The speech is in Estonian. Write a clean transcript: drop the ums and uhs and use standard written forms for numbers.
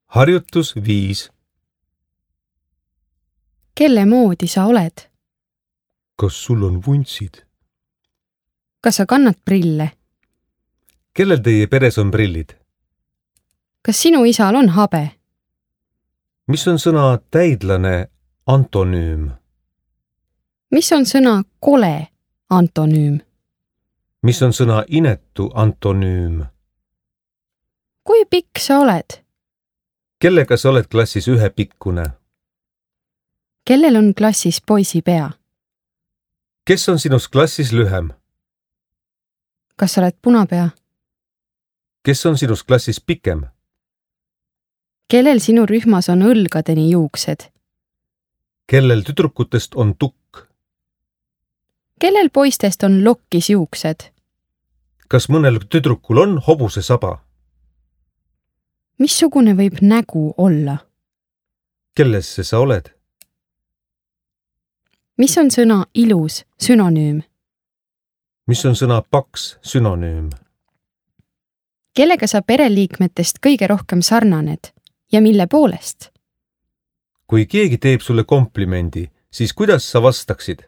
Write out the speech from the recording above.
Harjutus 5. Kelle moodi sa oled? Kas sul on vuntsid? Kas sa kannad prille? Kellel teie peres on prillid? Kas sinu isal on habe? Mis on sõna täidlane antonüüm? Mis on sõna kole antonüüm? Mis on sõna inetu antonüüm? Kui pikk sa oled? Kellega sa oled klassis ühepikkune? Kellel on klassis poisi pea? Kes on sinust klassis lühem? Kas sa oled punapea? Kes on sinust klassis pikem? Kellel sinu rühmas on õlgadeni juuksed? Kellel tüdrukutest on tukk? Kellel poistest on lokkis juuksed? Kas mõnel tüdrukul on hobuse saba? Missugune võib nägu olla? Kellesse sa oled? Mis on sõna ilus sünonüüm? Mis on sõna paks sünonüüm? Kellega sa pereliikmetest kõige rohkem sarnaned ja mille poolest? Kui keegi teeb sulle komplimendi, siis kuidas sa vastaksid?